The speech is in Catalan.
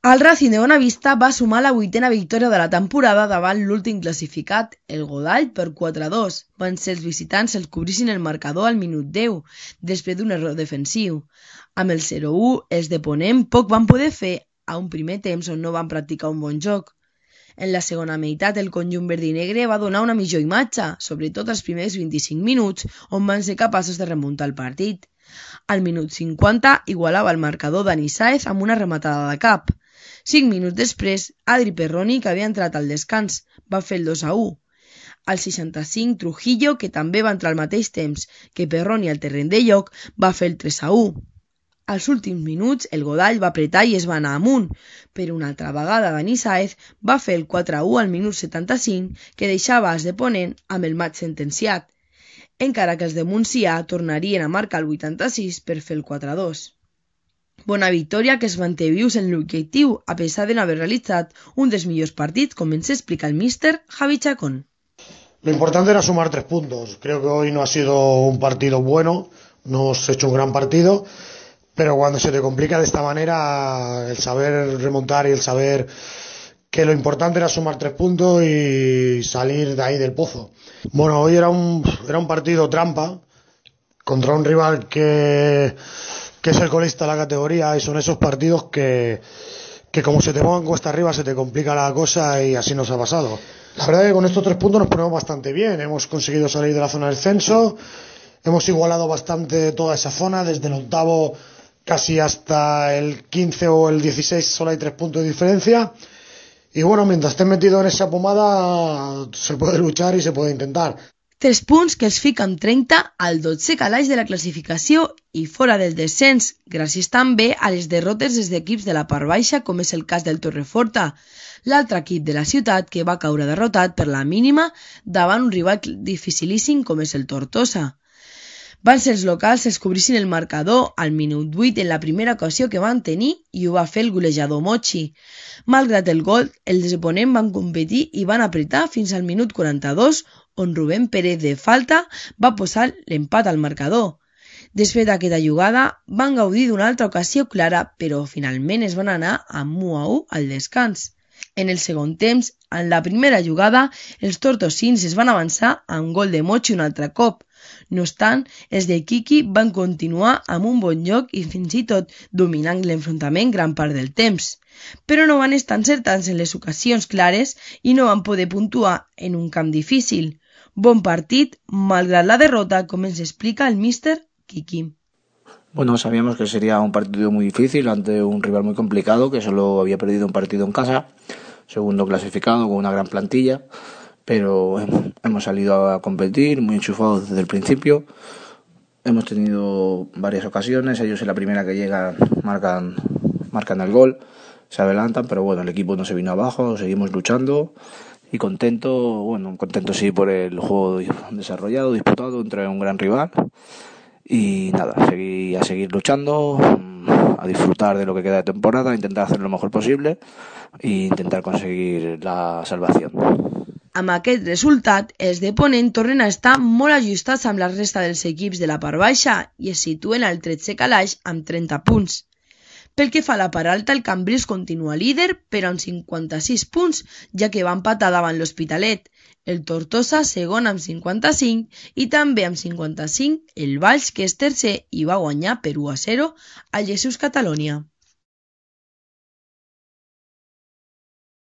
El Racing de Bonavista va sumar la 8a victòria de la temporada davant l'últim classificat, el Godall, per 4-2. Van ser els visitants els que obrissin el marcador al minut 10, després d'un error defensiu. Amb el 0-1, els de Ponent poc van poder fer a un primer temps on no van practicar un bon joc. En la segona meitat, el conjunt verd i negre va donar una millor imatge, sobretot els primers 25 minuts, on van ser capaços de remuntar el partit. Al minut 50, igualava el marcador Dani Sáez amb una rematada de cap. 5 minuts després, Adri Perroni, que havia entrat al descans, va fer el 2-1. Al 65, Trujillo, que també va entrar al mateix temps que Perroni al terreny de joc, va fer el 3-1. Als últims minuts, el Godall va apretar i es va anar amunt, però una altra vegada Dani Sáez va fer el 4-1 al minut 75, que deixava els de Ponent amb el maig sentenciat, encara que els de Montsià tornarien a marcar el 86 per fer el 4-2. Bona victòria que es manté vius en l'objectiu a pesar de no haver realitzat un dels millors partits, com ens explica el míster Javi Chacón. Lo importante era sumar 3 puntos. Creo que hoy no ha sido un partido bueno, no hemos hecho un gran partido, pero cuando se te complica de esta manera, el saber remontar y el saber que lo importante era sumar 3 puntos y salir de ahí del pozo. Bueno, hoy era un partido trampa contra un rival que es el colista de la categoría, y son esos partidos que como se te pongan cuesta arriba se te complica la cosa, y así nos ha pasado. La verdad es que con estos 3 puntos nos ponemos bastante bien, hemos conseguido salir de la zona del descenso, hemos igualado bastante toda esa zona, desde el 8º casi hasta el 15 o el 16 solo hay 3 puntos de diferencia, y bueno, mientras estés metido en esa pomada se puede luchar y se puede intentar. 3 punts que els fica amb 30 al 12è calaix de la classificació i fora del descens, gràcies també a les derrotes des d'equips de la part baixa, com és el cas del Torreforta, l'altre equip de la ciutat que va caure derrotat per la mínima davant un rival dificilíssim com és el Tortosa. Van ser els locals els que obrissin el marcador al minut 8 en la primera ocasió que van tenir i ho va fer el golejador Mochi. Malgrat el gol, els de Ponent van competir i van apretar fins al minut 42, on Rubén Pérez de falta va posar l'empat al marcador. Després d'aquesta jugada, van gaudir d'una altra ocasió clara, però finalment es van anar amb 1-1 al descans. En el segon temps, en la primera jugada, els tortosins es van avançar amb gol de Mochi un altre cop. No obstant, els de Quiqui van continuar amb un bon joc i fins i tot dominant l'enfrontament gran part del temps. Però no van estar encertats en les ocasions clares i no van poder puntuar en un camp difícil. Bon partit, malgrat la derrota, como ens explica el míster Quiqui. Bueno, sabíamos que sería un partido muy difícil ante un rival muy complicado que solo había perdido un partido en casa, segundo clasificado con una gran plantilla, pero hemos salido a competir muy enchufados desde el principio. Hemos tenido varias ocasiones, ellos en la primera que llegan marcan el gol, se adelantan, pero bueno, el equipo no se vino abajo, seguimos luchando. Y contento sí por el juego desarrollado, disputado entre un gran rival. Y nada, a seguir luchando, a disfrutar de lo que queda de temporada, a intentar hacer lo mejor posible e intentar conseguir la salvación. Amb aquest resultat, els de Ponent tornen a estar molt ajustats amb la resta dels equips de la part baixa i es situen al 13è calaix amb 30 punts. Pel que fa a la part alta, el Cambrils continua líder, però amb 56 punts, ja que va empatar davant l'Hospitalet. El Tortosa segon amb 55 i també amb 55 el Valls, que és tercer i va guanyar per 1-0 al Jesús Catalunya.